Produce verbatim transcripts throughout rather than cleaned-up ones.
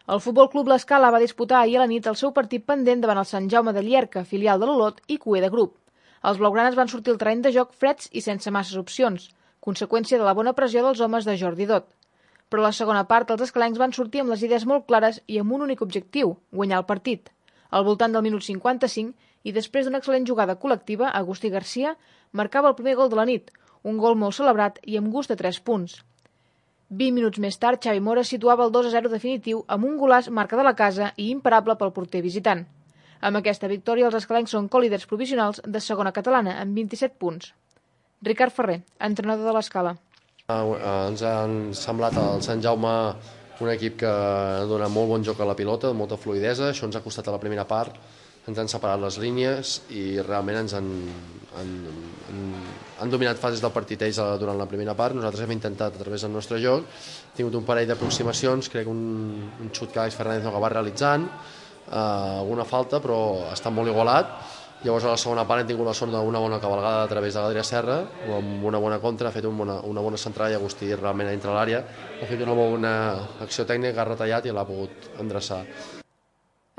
El Futbol Club L'Escala va disputar ahir a la nit el seu partit pendent davant el Sant Jaume de Llierca, filial de l'Olot i cuer de grup. Els blaugranes van sortir al terreny de joc freds i sense masses opcions, conseqüència de la bona pressió dels homes de Jordi Dot. Però a la segona part els escalencs van sortir amb les idees molt clares i amb un únic objectiu, guanyar el partit. Al voltant del minut cinquanta-cinc, i després d'una excel·lent jugada col·lectiva, Agustí Garcia marcava el primer gol de la nit, un gol molt celebrat i amb gust de tres punts. vint minuts més tard, Xavi Mora situava el dos a zero definitiu amb un golaç marca de la casa i imparable pel porter visitant. Amb aquesta victòria, els escalencs són colíders provisionals de segona catalana, amb vint-i-set punts. Ricard Ferrer, entrenador de l'Escala. Ens ha semblat el Sant Jaume un equip que dona molt bon joc a la pilota, molta fluidesa, això ens ha costat a la primera part, ens han separat les línies i realment ens han, han, han, han dominat fases del partit ells durant la primera part. Nosaltres hem intentat a través del nostre joc, hem tingut un parell d'aproximacions, crec un, un xut que Àlex Fernández no va realitzant, eh, alguna falta, però està molt igualat. Llavors a la segona part hem tingut la sort d'una bona cavalgada a través de l'Adrià Serra, amb una bona contra, ha fet una bona, una bona centrada i Agustí realment a dintre l'àrea, ha fet una bona acció tècnica, ha retallat i l'ha pogut endreçar.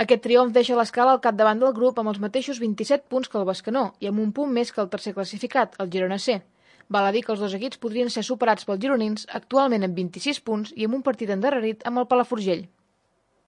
Aquest triomf deixa l'Escala al capdavant del grup amb els mateixos vint-i-set punts que el Bescanó i amb un punt més que el tercer classificat, el Girona C. Val a dir que els dos equips podrien ser superats pels gironins, actualment amb vint-i-sis punts i amb un partit endarrerit amb el Palafrugell.